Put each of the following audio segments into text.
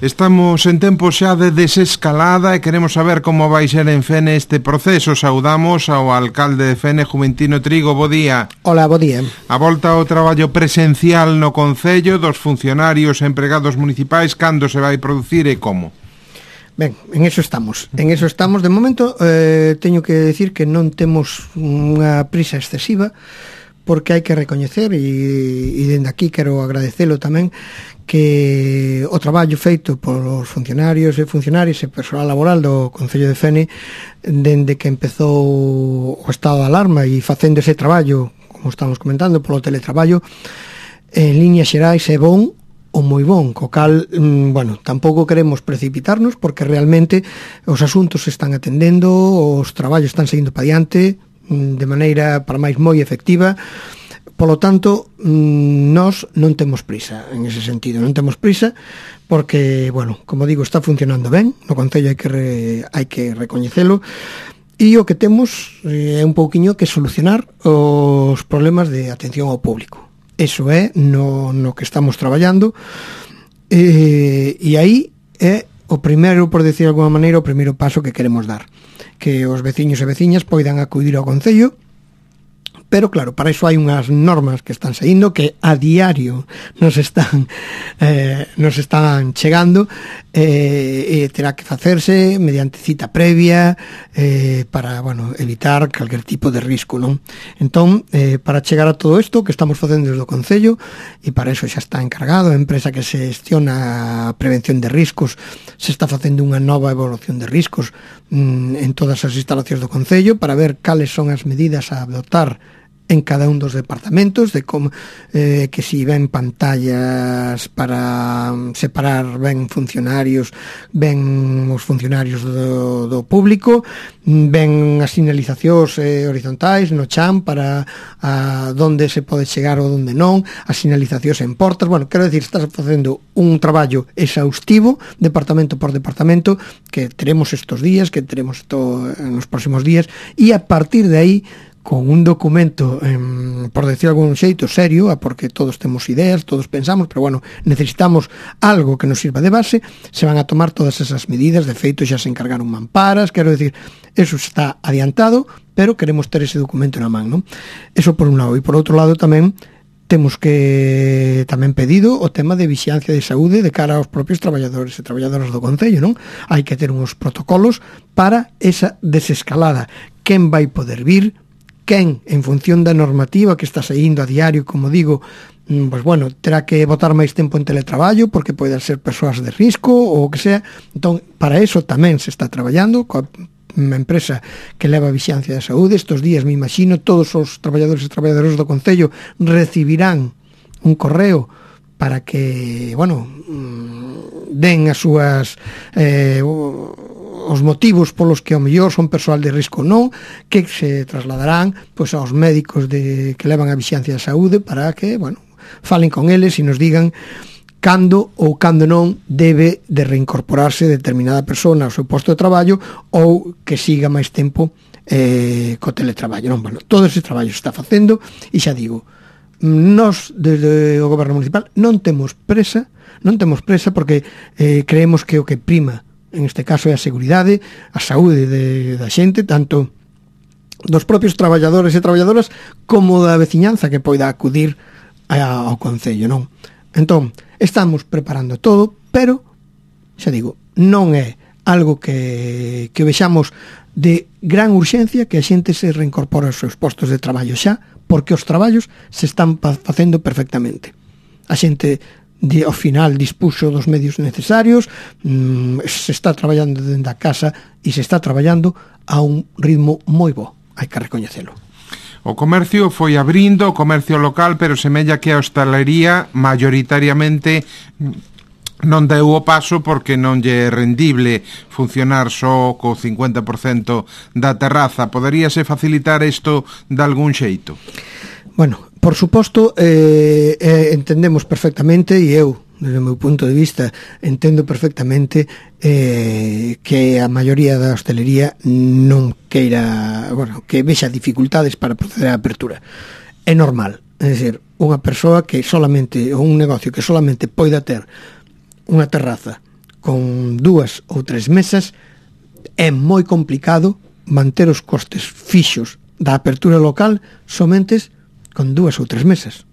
Estamos en tempo xa de desescalada e queremos saber como vai ser en Fene este proceso. Saudamos ao alcalde de Fene, Juventino Trigo. Bo día. Hola, bo día. A volta ao traballo presencial no Concello dos funcionarios e empregados municipais, cando se vai producir e como? Ben, en eso estamos. De momento, teño que decir que non temos unha prisa excesiva, porque hai que recoñecer, e dende aquí quero agradecelo tamén, que o traballo feito polos funcionarios e funcionarias e persoal laboral do Concello de Fene dende que empezou o estado de alarma e facendo ese traballo, como estamos comentando, polo teletraballo, en líneas xerais é bon ou moi bon, co cal, tampouco queremos precipitarnos, porque realmente os asuntos se están atendendo, os traballos están seguindo para diante de maneira para máis moi efectiva. Polo tanto, nós non temos prisa en ese sentido, non temos prisa porque, como digo, está funcionando ben no Concello, hai que recoñecelo, e o que temos é un pouquiño que solucionar os problemas de atención ao público. Eso é no que estamos traballando, e aí é o primeiro, por decir de alguma maneira, o primeiro paso que queremos dar, que os veciños e veciñas poidan acudir ao Concello. Pero claro, para iso hai unhas normas que están saindo, que a diario nos están chegando, e terá que facerse mediante cita previa, para, evitar calquer tipo de risco, non? Entón, para chegar a todo isto que estamos facendo desde o Concello, e para iso xa está encargado a empresa que se gestiona a prevención de riscos, se está facendo unha nova evaluación de riscos en todas as instalacións do Concello, para ver cales son as medidas a adoptar en cada un dos departamentos, de como que si ven pantallas para separar ben funcionarios, ben os funcionarios do público, ben as sinalizacións horizontais no chan para donde se pode chegar ou donde non, as sinalizacións en portas. Quero decir, estás facendo un traballo exhaustivo, departamento por departamento, que teremos estos días, que teremos nos próximos días, e a partir de aí, con un documento, por decir algún xeito, serio, porque todos temos ideas, todos pensamos, pero necesitamos algo que nos sirva de base, se van a tomar todas esas medidas. De feito, xa se encargaron mamparas, quero decir, eso está adiantado, pero queremos ter ese documento na man, non? Eso por un lado. E por outro lado tamén, temos que tamén pedido o tema de vixiancia de saúde de cara aos propios traballadores e traballadoras do Concello, non? Hai que ter uns protocolos para esa desescalada. Quen vai poder vir, quen, en función da normativa que está saindo a diario, como digo, terá que botar máis tempo en teletraballo, porque poden ser persoas de risco ou o que sea. Entón, para eso tamén se está traballando coa empresa que leva a vixiancia da saúde. Estos días, me imagino, todos os traballadores e traballadoras do Concello recibirán un correo para que, den as súas os motivos polos que ao mellor son persoal de risco ou non, que se trasladarán aos médicos que levan a vixiancia da saúde, para que, falen con eles e nos digan cando ou cando non debe de reincorporarse determinada persona ao seu posto de traballo, ou que siga máis tempo co teletraballo, non? Todo ese traballo se está facendo, e xa digo, nós desde o Goberno Municipal non temos presa porque creemos que o que prima en este caso é a seguridade, a saúde da xente, tanto dos propios traballadores e traballadoras como da veciñanza que poida acudir ao Concello, non? Entón, estamos preparando todo, pero, xa digo, non é algo que vexamos de gran urxencia que a xente se reincorpore aos seus postos de traballo xa, porque os traballos se están facendo perfectamente. A xente ao final dispuxo dos medios necesarios, se está traballando dentro da casa e se está traballando a un ritmo moi bo, hai que recoñecelo. O comercio foi abrindo, o comercio local, pero semella que a hostalería mayoritariamente non deu o paso porque non lle é rendible funcionar só co 50% da terraza. Poderíase facilitar isto de algún xeito? Por suposto, entendemos perfectamente, e eu, desde o meu punto de vista, entendo perfectamente que a maioría da hostelería non queira, que vexa dificultades para proceder á apertura. É normal, é dicir, unha persoa que solamente, ou un negocio que solamente poida ter unha terraza con 2 ou 3 mesas é moi complicado manter os costes fixos da apertura local somente con 2 ou 3 mesas.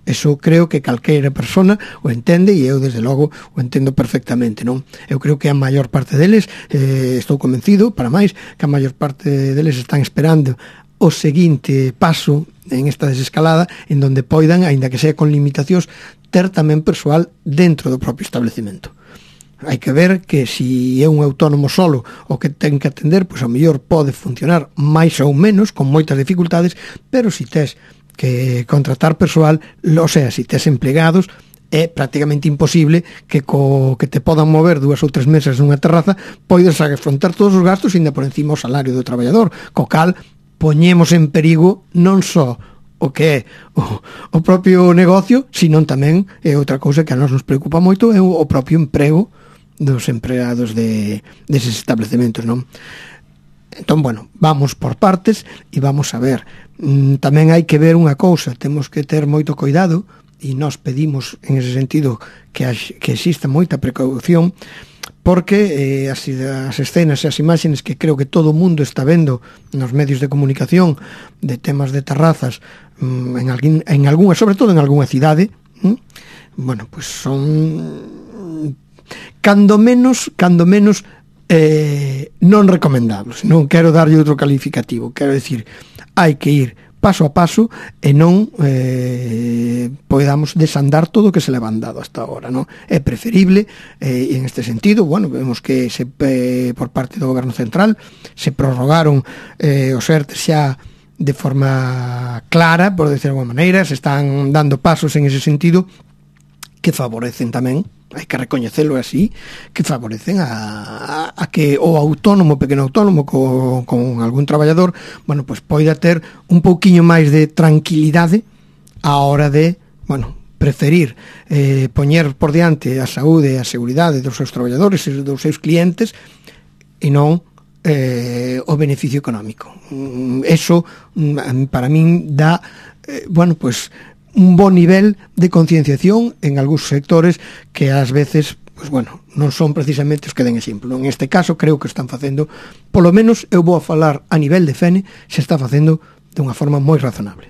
Eso creo que calqueira persona o entende e eu desde logo o entendo perfectamente, non? Eu creo que a maior parte deles, estou convencido, para máis, que a maior parte deles están esperando o seguinte paso en esta desescalada en donde poidan, aínda que sea con limitacións, ter tamén persoal dentro do propio establecemento. Hai que ver que se é un autónomo solo o que ten que atender, pois ao mellor pode funcionar máis ou menos, con moitas dificultades, pero se tes que contratar persoal, o sea, se tes emplegados, é prácticamente imposible que te podan mover 2 ou 3 mesas nunha terraza, poides afrontar todos os gastos ainda por encima o salario do traballador, co cal poñemos en perigo non só o que é o propio negocio, sino tamén é outra cousa que a nos preocupa moito, é o propio emprego dos empregados deses establecementos, non? Entón, bueno, vamos por partes e vamos a ver. Tamén hai que ver unha cousa, temos que ter moito cuidado e nós pedimos en ese sentido que exista moita precaución, porque as escenas e as imaxes que creo que todo o mundo está vendo nos medios de comunicación de temas de terrazas en algunha, sobre todo en algunha cidade, bueno, pues son cando menos non recomendables. Non quero darlle outro calificativo, quero decir, hai que ir paso a paso e non podamos desandar todo o que se le van dado hasta ahora, non? É preferible, en este sentido, bueno, vemos que por parte do Goberno Central se prorrogaron os ERTES xa de forma clara, por decir de alguma maneira, se están dando pasos en ese sentido que favorecen tamén, hai que recoñecelo así, que favorecen a que o autónomo, pequeno autónomo con algún traballador, bueno, pues poida ter un pouquiño máis de tranquilidade a hora de, bueno, preferir poñer por diante a saúde e a seguridade dos seus traballadores e dos seus clientes e non o beneficio económico. Eso para min dá, bueno, pues un bon nivel de concienciación en algúns sectores que ás veces, pues bueno, non son precisamente os que den exemplo. En este caso creo que están facendo, polo menos eu vou a falar a nivel de Fene, se está facendo de unha forma moi razonable.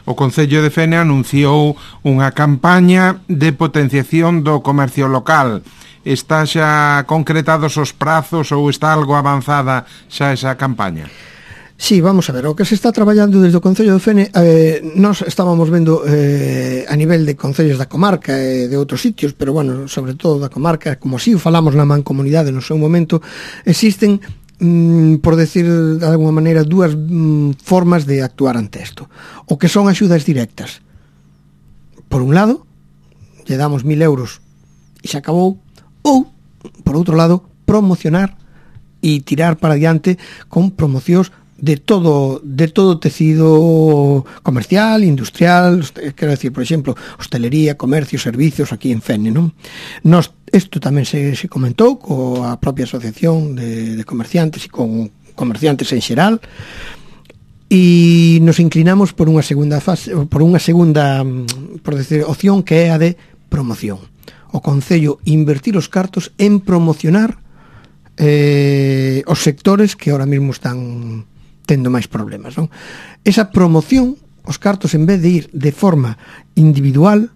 O Concello de Fene anunciou unha campaña de potenciación do comercio local. Está xa concretados os prazos ou está algo avanzada xa esa campaña? Sí, vamos a ver, o que se está traballando desde o Concello de Fene, nós estábamos vendo a nivel de concellos da comarca e de outros sitios, pero bueno, sobre todo da comarca, como así o falamos na mancomunidade no seu momento, existen, por decir de alguma maneira, dúas formas de actuar ante isto. O que son axudas directas. Por un lado, lle damos 1.000 euros e se acabou, ou, por outro lado, promocionar e tirar para diante con promocións de todo tecido comercial, industrial, quero decir, por exemplo, hostelería, comercio, servicios aquí en Fene, non? Isto tamén se comentou coa propia asociación de comerciantes e con comerciantes en xeral, e nos inclinamos por unha segunda fase, por decir, opción, que é a de promoción. O Concello invertir os cartos en promocionar os sectores que ahora mesmo están tendo máis problemas, non? Esa promoción, os cartos, en vez de ir de forma individual,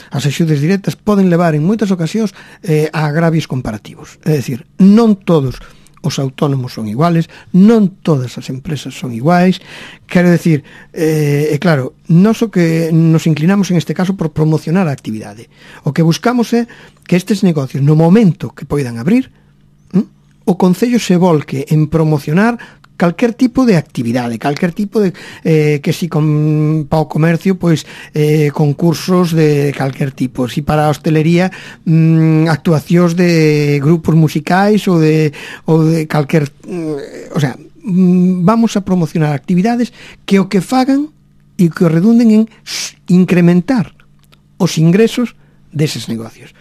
as axudas directas poden levar en moitas ocasións a agravios comparativos. É dicir, non todos os autónomos son iguales, non todas as empresas son iguais, quero decir, claro, nós o que nos inclinamos en este caso por promocionar a actividade. O que buscamos é que estes negocios, no momento que poidan abrir, o Concello se volque en promocionar calquer tipo de actividade, calquer tipo de que si para o comercio, pois concursos de calquer tipo, si para a hostelería actuacións de grupos musicais ou de calquer, o sea, vamos a promocionar actividades que o que fagan e que redunden en incrementar os ingresos deses negocios.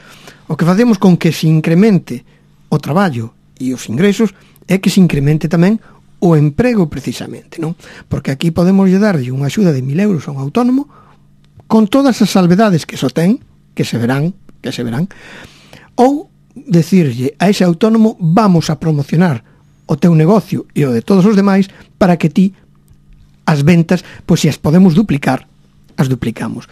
O que facemos con que se incremente o traballo e os ingresos é que se incremente tamén o emprego, precisamente, non? Porque aquí podemos darlle unha axuda de 1.000 euros a un autónomo con todas as salvedades que só ten, que se verán, ou decirlle a ese autónomo vamos a promocionar o teu negocio e o de todos os demais para que ti as ventas, pois se as podemos duplicar, as duplicamos.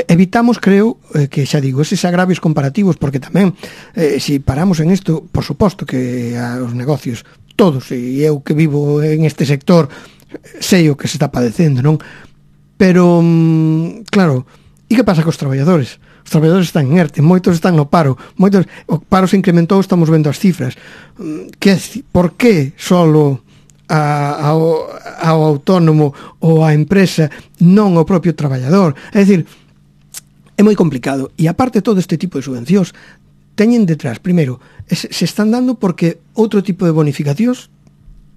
Evitamos, creo, que xa digo, eses agravios comparativos, porque tamén, se paramos en isto, por suposto que os negocios, todos, e eu que vivo en este sector, sei o que se está padecendo, non? Pero, claro, e que pasa cos traballadores? Os traballadores están en ERTE, moitos están no paro, o paro se incrementou, estamos vendo as cifras. Por que solo ao autónomo ou á empresa, non ao propio traballador? É dicir, é moi complicado. E aparte todo este tipo de subvencións teñen detrás, primeiro, se están dando porque outro tipo de bonificacións,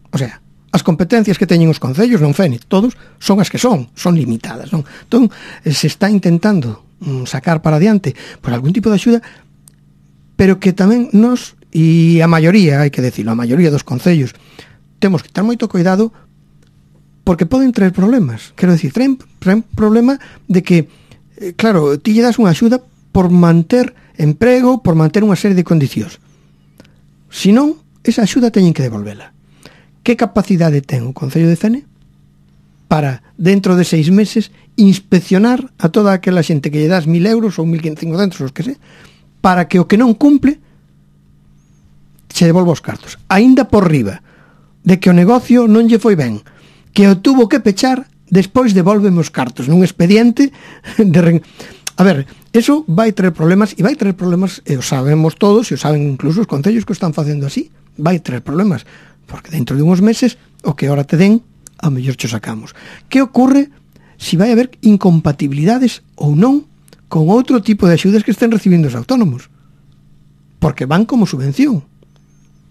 o sea, as competencias que teñen os concellos, non FENIT, todos, son as que son limitadas, non? Entón, se está intentando sacar para adiante por algún tipo de axuda, pero que tamén nos, e a maioría, hai que decirlo, a maioría dos concellos, temos que ter moito cuidado porque poden traer problemas. Quero dicir, traen problema de que, claro, ti lle das unha axuda por manter emprego, por manter unha serie de condicións. Se non, esa axuda teñen que devolvela. Que capacidade ten o Concello de Fene para, dentro de 6 meses, inspeccionar a toda aquela xente que lle das 1.000 euros ou 1.500, os que sé, para que o que non cumple se devolva os cartos? Aínda por riba de que o negocio non lle foi ben, que o tuvo que pechar, despois devolveme os cartos nun expediente de... A ver, eso vai traer problemas, e vai traer problemas, e o sabemos todos, e o saben incluso os concellos que o están facendo así, vai traer problemas, porque dentro de uns meses, o que ahora te den, ao mellor cho sacamos. Que ocorre se vai haber incompatibilidades ou non con outro tipo de axudas que estén recibindo os autónomos? Porque van como subvención.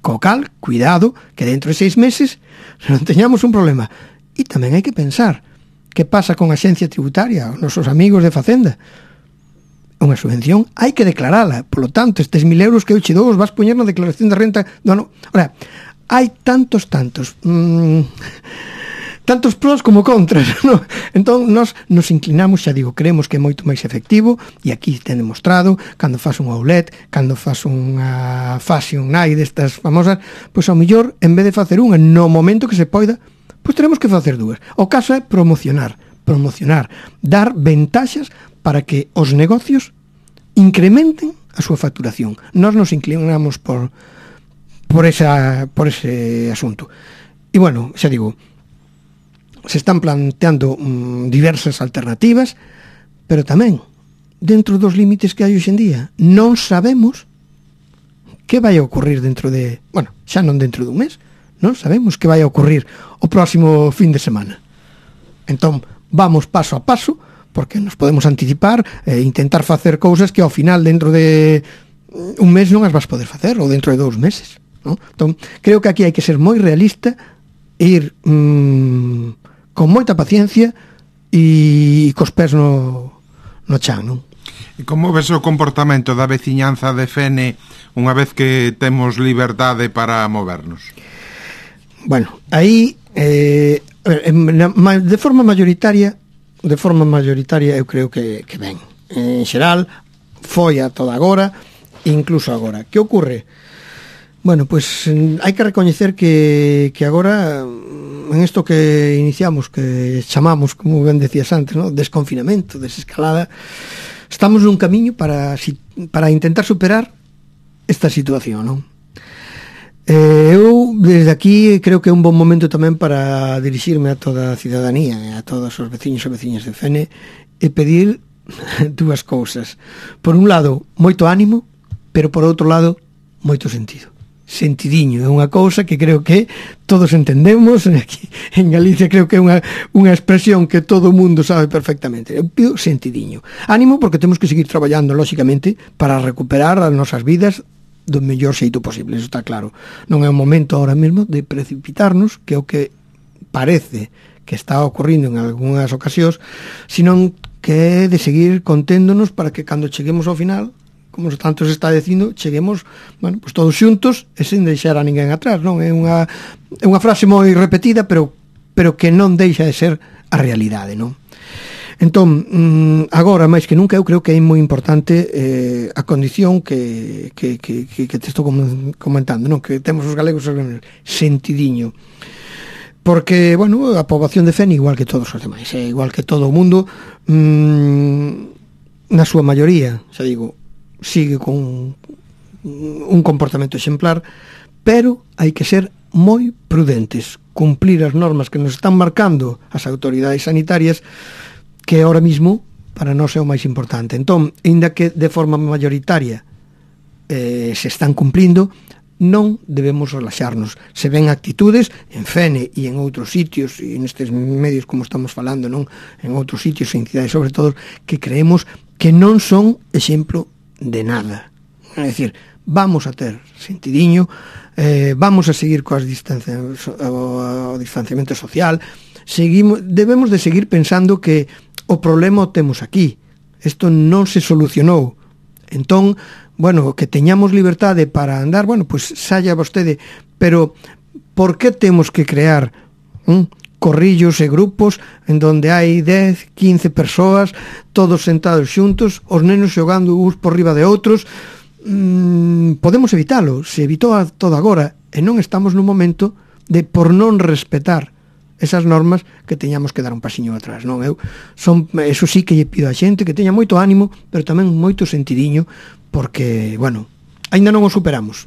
Co cal, cuidado, que dentro de 6 meses non teñamos un problema. E tamén hai que pensar que pasa con a Axencia Tributaria, os nosos amigos de Facenda. Unha subvención hai que declarala, polo tanto, estes 1.000 euros que eu che dou os vas poñer na declaración de renta do ano. Ora, hai tantos pros como contras, no? Entón, nos inclinamos, xa digo, creemos que é moito máis efectivo, e aquí ten demostrado, cando faz un outlet, cando faz unha fashion night destas famosas, pois ao mellor, en vez de facer unha no momento que se poida, pois teremos que facer dúas. O caso é promocionar, dar ventaxas para que os negocios incrementen a súa facturación. Nós nos inclinamos por ese asunto. E bueno, xa digo, se están planteando diversas alternativas, pero tamén dentro dos límites que hai hoxe en día non sabemos que vai a ocurrir dentro de, bueno, xa non dentro dun mes, non sabemos que vai a ocurrir o próximo fin de semana. Entón, vamos paso a paso, porque nos podemos anticipar e intentar facer cousas que ao final dentro de un mes non as vas poder facer, ou dentro de 2 meses, non? Entón, creo que aquí hai que ser moi realista e ir con moita paciencia e cos pés no chan, non? E como ves o comportamento da veciñanza de Fene unha vez que temos liberdade para movernos? Bueno, aí de forma mayoritaria eu creo que ben. En xeral foi a toda agora, incluso agora. Que ocorre? Bueno, pues hai que recoñecer que agora en isto que iniciamos, que chamamos, como ben decías antes, ¿no?, desconfinamento, desescalada, estamos nun camiño para intentar superar esta situación, non? Eu, desde aquí, creo que é un bon momento tamén para dirixirme a toda a cidadanía, a todos os veciños e veciñas de Fene, e pedir dúas cousas. Por un lado, moito ánimo, pero por outro lado, moito sentido. Sentidiño, é unha cousa que creo que todos entendemos. Aquí en Galicia creo que é unha expresión que todo o mundo sabe perfectamente. Eu pido sentidiño. Ánimo porque temos que seguir traballando, lóxicamente, para recuperar as nosas vidas do mellor xeito posible, eso está claro. Non é o momento ahora mesmo de precipitarnos, que é o que parece que está ocorrindo en algunhas ocasións, senón que é de seguir conténdonos para que cando cheguemos ao final, como tanto se está dicindo, cheguemos, bueno, pues todos xuntos e sen deixar a ninguén atrás, non? É unha frase moi repetida, pero que non deixa de ser a realidade, non? Entón, agora, máis que nunca, eu creo que é moi importante a condición que te estou comentando, non? Que temos os galegos sentidiño. Porque, bueno, a poboación de Fene, igual que todos os demais, igual que todo o mundo, na súa maioría, xa digo, sigue con un comportamento exemplar, pero hai que ser moi prudentes, cumplir as normas que nos están marcando as autoridades sanitarias, que ahora mismo para nós é o máis importante. Entón, ainda que de forma mayoritaria se están cumplindo, non debemos relaxarnos. Se ven actitudes en Fene e en outros sitios, e nestes medios como estamos falando, non, en outros sitios, en cidades sobre todo, que creemos que non son exemplo de nada. É dicir, vamos a ter sentidiño, vamos a seguir o distanciamento social, debemos de seguir pensando que o problema o temos aquí. Isto non se solucionou. Entón, bueno, que teñamos liberdade para andar, bueno, pois saia vostede, pero por que temos que crear corrillos e grupos en donde hai 10, 15 persoas, todos sentados xuntos, os nenos xogando uns por riba de outros? Podemos evitalo, se evitou todo agora, e non estamos nun momento de, por non respetar esas normas, que teñamos que dar un pasiño atrás, non? Eso sí que lle pido a xente que teña moito ánimo, pero tamén moito sentidiño, porque, bueno, aínda non o superamos.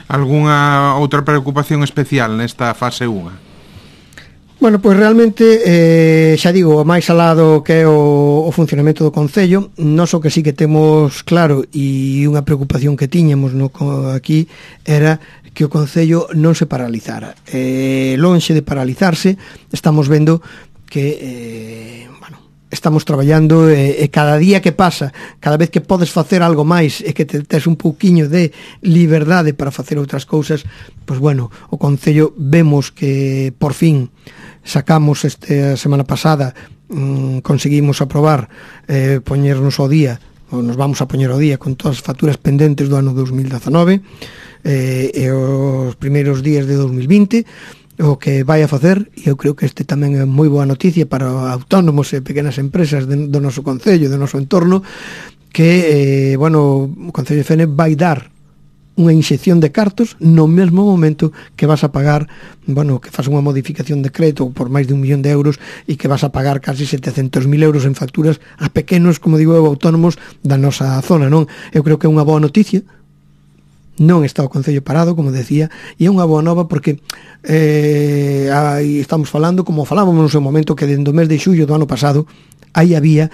Algúnha outra preocupación especial nesta fase 1? Bueno, pois realmente, xa digo, máis alado que é o funcionamento do Concello, nós o que sí que temos claro, e unha preocupación que tiñamos aquí, era que o Concello non se paralizara. Lonxe de paralizarse, estamos vendo que, estamos traballando, e cada día que pasa, cada vez que podes facer algo máis e que tes un pouquiño de liberdade para facer outras cousas, pois bueno, o Concello vemos que por fin sacamos esta semana pasada, conseguimos aprobar poñernos ao día, ou nos vamos a poñer ao día con todas as facturas pendentes do ano 2019 e os primeiros días de 2020, o que vai a facer, e eu creo que este tamén é moi boa noticia para autónomos e pequenas empresas do noso concello, do noso entorno, que, o Concello de Fene vai dar unha inxección de cartos no mesmo momento que vas a pagar, que faz unha modificación de crédito por máis de 1 millón de euros e que vas a pagar casi 700.000 euros en facturas a pequenos, como digo eu, autónomos da nosa zona, non? Eu creo que é unha boa noticia. Non está o Concello parado, como decía, e é unha boa nova porque aí estamos falando, como falábamos no seu momento, que dentro do mes de xullo do ano pasado aí había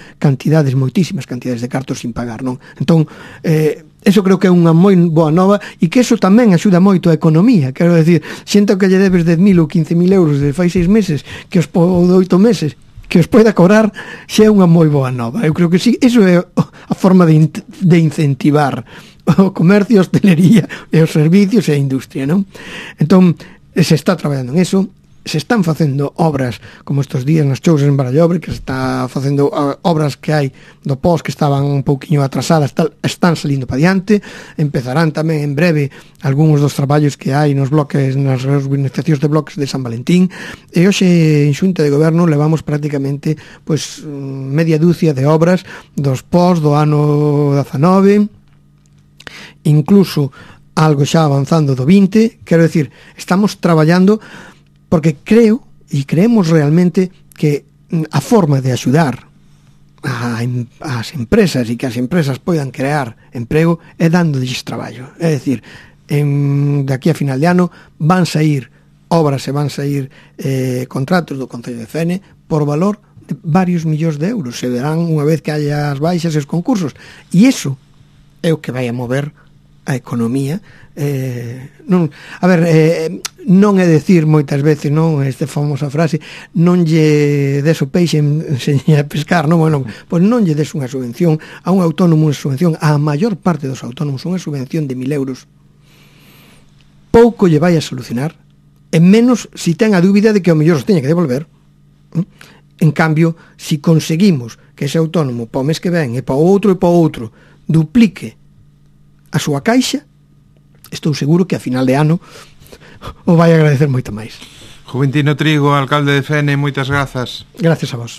moitísimas cantidades de cartos sin pagar, non? Entón, eso creo que é unha moi boa nova, e que eso tamén axuda moito a economía. Quero decir, xente que lle debes 10.000 ou 15.000 euros de fai 6 meses, ou de 8 meses, que os poida cobrar, xa é unha moi boa nova. Eu creo que sí, eso é a forma de incentivar o comercio, a hostelería e os servicios e a industria, non? Entón, se está traballando en eso, se están facendo obras como estes días nas chousas en Barallobre, que se está facendo obras que hai do pós que estaban un pouquiño atrasadas, están salindo para diante. Empezarán tamén en breve algúns dos traballos que hai nos bloques, nas urbanizacións de bloques de San Valentín, e hoxe en Xunta de Goberno levamos prácticamente media dúcia de obras dos pós do ano 19, incluso algo xa avanzando do 20. Quero decir, estamos traballando porque creemos realmente que a forma de axudar as empresas e que as empresas poidan crear emprego é dándolles traballo. É dicir, de aquí a final de ano van sair obras e van sair contratos do Concello de Fene por valor de varios millóns de euros. Se verán unha vez que haya as baixas e os concursos, e iso é o que vai a mover a economía. Non é decir moitas veces, non, esta famosa frase, non lle des o peixe enseñe a pescar, non? Bueno, pois non lle des unha subvención a un autónomo, unha subvención a maior parte dos autónomos, unha subvención de 1.000 euros, pouco lle vai a solucionar, en menos si ten a dúbida de que ao mellor os teña que devolver. En cambio, si conseguimos que ese autónomo para o mes que ven e para o outro duplique a súa caixa, estou seguro que a final de ano o vai agradecer moito máis. Juventino Trigo, alcalde de Fene, moitas grazas. Gracias a vos.